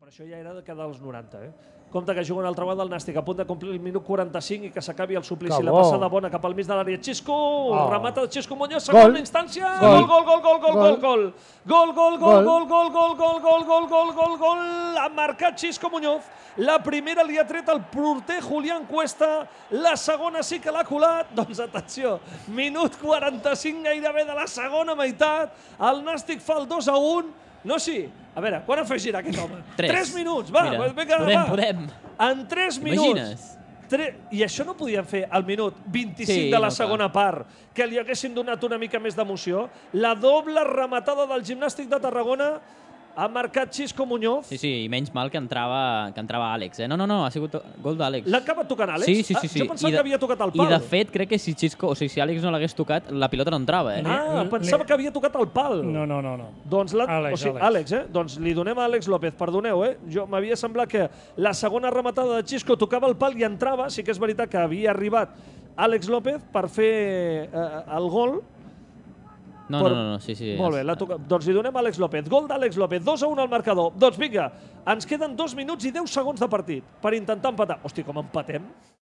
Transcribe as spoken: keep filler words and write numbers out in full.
Però això ja era de cada dels noranta, eh? Compte que juga una altra vegada el Nàstic, a punt de complir el minut quaranta-cinc i que s'acabi el suplici. La passada bona cap al mig de l'àrea. Xisco, remata de Xisco Muñoz, segona instància. Gol, gol, gol, gol, gol, gol, gol. Gol, gol, gol, gol, gol, gol, gol, gol, gol, gol, gol, gol. Ha marcat Xisco Muñoz. La primera li ha tret el porter Julián Cuesta. La segona sí que l'ha colat. Doncs atenció, minut quaranta-cinc gairebé de la segona meitat. El Nàstic fa el dos a un. No, sí. A veure, quan afegirà aquest home? Tres. Tres minuts, va. Mira, vinga, podem, va. podem. En tres minuts. Imagines? Tre... I això no podien fer al minut vint-i-cinc Sí, de la no, segona part, que li haguessin donat una mica més d'emoció. La doble rematada del Gimnàstic de Tarragona ha marcat Xisco Muñoz. Sí, sí, i menys mal que entrava, que entrava Àlex. Eh? No, no, no, ha sigut gol d'Àlex. L'ha acabat tocant Àlex? Sí, sí, sí. sí. Ah, jo pensava de, que havia tocat el pal. I de fet, crec que si Xisco, o sigui, si Àlex no l'hagués tocat, la pilota no entrava. Eh? Ah, pensava que havia tocat el pal. No, no, no. no. Doncs la... Àlex, o sigui, Àlex. Àlex, eh? Doncs li donem a Àlex López, perdoneu, eh? Jo m'havia semblat que la segona rematada de Xisco tocava el pal i entrava. Sí que és veritat que havia arribat Àlex López per fer eh, el gol. No, Però... no, no, no, sí, sí. Molt bé, la toca... doncs li donem a Àlex López. Gol d'Àlex López, dos a un al marcador. Doncs vinga, ens queden dos minuts i deu segons de partit per intentar empatar. Hosti, com empatem?